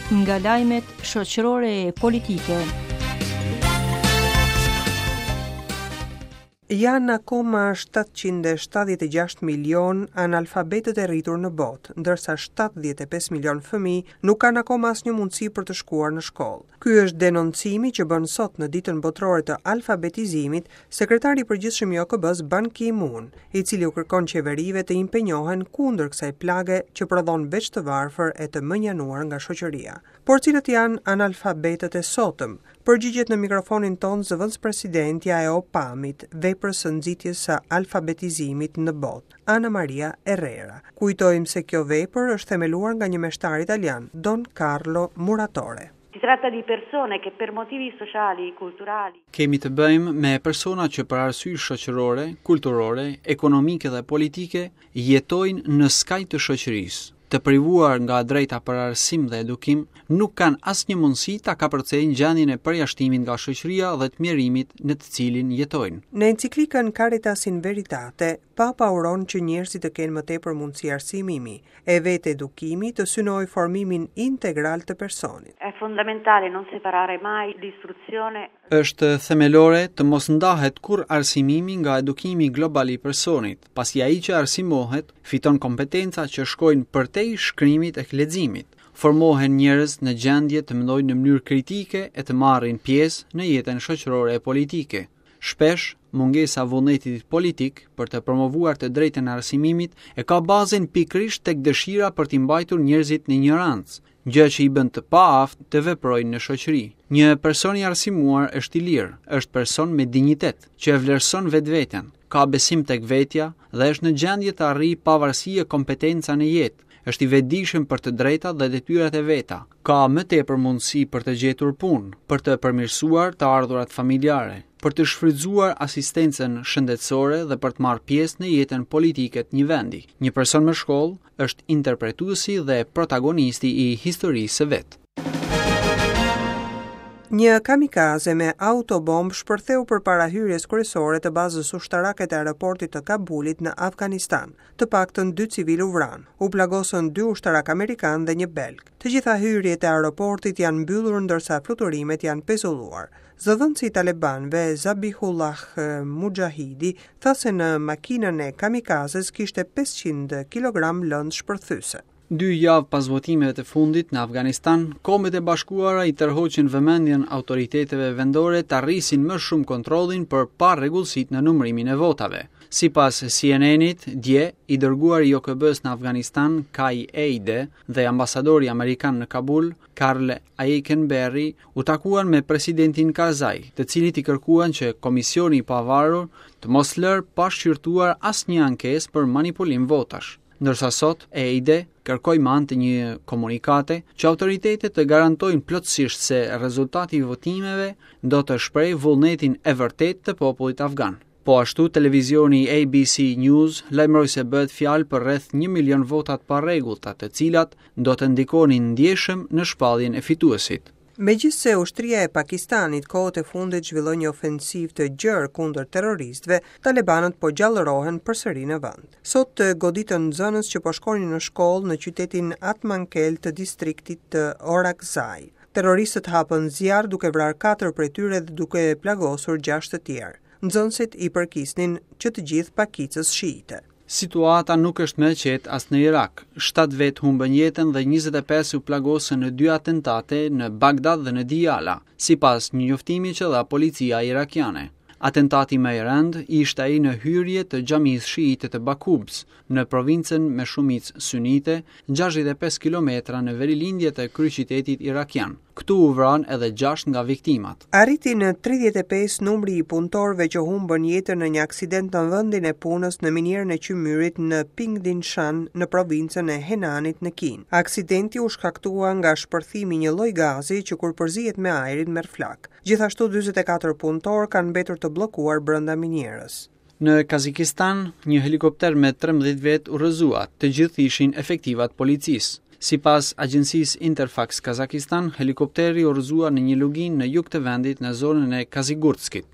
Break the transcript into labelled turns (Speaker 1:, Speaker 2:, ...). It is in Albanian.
Speaker 1: Nga lajmet shoqërore e politike.
Speaker 2: Janë akoma 776 milionë analfabetët e rritur në botë, ndërsa 75 milionë fëmijë nuk kanë akoma asnjë mundësi për të shkuar në shkollë. Ky është denoncimi që bën sot në Ditën Botërore të Alfabetizimit Sekretari i Përgjithshëm i OKB-së Ban Ki-moon, i cili u kërkon qeverive të impenjohen kundër kësaj plage që prodhon veç të varfër e të mënjanuar nga shoqëria. Por cilët janë analfabetët e sotëm? Përgjigjet në mikrofonin tonë zëvendëspresidentja e OPAM-it, veprës së nxitjes së alfabetizimit në botë, Ana Maria Herrera. Kujtojmë se kjo vepër është themeluar nga një meshtar italian, Don Carlo Muratore.
Speaker 3: Si tratta di persone che per motivi sociali, culturali.
Speaker 4: Kemi të bëjmë me persona që për arsye shoqërore, kulturore, ekonomike dhe politike jetojnë në skaj të shoqërisë, të privuar nga e drejta për arsim dhe edukim, nuk kanë asnjë mundësi ta kapërcejnë gjendjen e përjashtimit nga shoqëria dhe të mjerimit në të cilin jetojnë.
Speaker 2: Në enciklikën Caritas in Veritate, Papa uron që njerëzit të kenë më tepër mundësi arsimimi, e vetë edukimi të synojë formimin integral të personit.
Speaker 3: È fondamentale non separare mai l'istruzione.
Speaker 4: Është themelore të mos ndahet kurrë arsimimi nga edukimi global i personit, pasi ai që arsimohet fiton kompetenca që shkojnë përtej shkrimit e leximit. Formohen njerëz në gjendje të mendojnë në mënyrë kritike e të marrin pjesë në jetën shoqërore e politike. Shpesh, mungesa e vullnetit politik për të promovuar të drejtën e arsimimit e ka bazën pikërisht tek dëshira për t'i mbajtur njerëzit në injorancë, gjë që i bën të paaftë të veprojnë në shoqëri. Një person i arsimuar është i lirë, është person me dinjitet, që e vlerëson vetveten, ka besim tek vetja dhe është në gjendje të arrijë pavarësi e kompetenca në jetë, është i vetëdijshëm për të drejtat dhe detyrat e veta, ka më tepër mundësi për të gjetur punë, për të përmirësuar të ardhurat familjare, për të shfrytëzuar asistencën shëndetësore dhe për të marrë pjesë në jetën politike të një vendi. Një person me shkollë është interpretuesi dhe protagonisti i historisë së vet.
Speaker 2: Një kamikaze me autobombë shpërtheu përpara hyrjes kryesore të bazës ushtarake të aeroportit të Kabulit në Afganistan. Të paktën dy civilë u vranë, u plagosën dy ushtarakë amerikanë dhe një belg. Të gjitha hyrjet e aeroportit janë mbyllur ndërsa fluturimet janë pezulluar. Zëdhënësi i talebanëve, Zabihullah Mujahidi, tha se në makinën e kamikazes kishte 500 kilogramë lëndë shpërthyese.
Speaker 4: Dy javë pas votimeve të fundit në Afganistan, Kombet e Bashkuara i tërhoqën vëmendjen autoriteteve vendore ta rrisin më shumë kontrollin për parregullsitë në numërimin e votave. Sipas CNN-it, dje, i dërguari i OKB-së në Afganistan, Kai Eide, dhe ambasadori amerikan në Kabul, Karl Eikenberry, u takuan me presidentin Karzai, të cilit i kërkuan që Komisioni i Pavarur të mos lërë pa shqyrtuar asnjë ankesë për manipulim votash. Ndërsa sot, Eide kërkoi me anë të një komunikate që autoritetet të garantojnë plotësisht se rezultati i votimeve do të shprehë vullnetin e vërtetë të popullit afgan. Po ashtu, televizioni ABC News lajmëroi se bëhet fjalë për rreth 1 milion vota të parregullta, të cilat do të ndikonin ndjeshëm në shpalljen e fituesit.
Speaker 2: Megjithëse ushtria e Pakistanit kohët e fundit zhvilloi një ofensivë të gjerë kundër terroristëve, talebanët po gjallërohen përsëri në vend. Sot goditën nxënës që po shkonin në shkollë në qytetin Atmankel të distriktit të Orakzai. Terroristët hapën zjarr duke vrarë 4 prej tyre dhe duke plagosur 6 të tjerë. Nxënësit i përkisnin që të gjithë pakicës shiite.
Speaker 4: Situata nuk është më e qetë as në Irak. 7 vetë humbën jetën dhe 25 u plagosën në dy atentate në Bagdad dhe në Dijala, sipas një njoftimi që dha policia irakiane. Atentati më i rëndë ishte ai në hyrje të xhamisë shiite të Bakubës, në provincën me shumicë sunite, 65 kilometra në verilindje të kryeqytetit irakian. Këtu u vranë edhe 6 nga viktimat.
Speaker 2: Arriti në 35 numri i punëtorëve që humbën jetën në një aksident në vendin e punës në minierën e qymyrit në Pingdingshan në provincën e Henanit në Kinë. Aksidenti u shkaktua nga shpërthimi i një lloj gazi që kur përzihet me ajrin merr flakë. Gjithashtu 44 punëtorë kanë mbetur të bllokuar brenda minierës.
Speaker 4: Në Kazakistan, një helikopter me 13 vetë u rrëzua, të gjithë ishin efektiva të policisë. Sipas agjencisë Interfax Kazakistan, helikopteri u rrëzua në një luginë në jug të vendit në zonën e Kazigurtskit.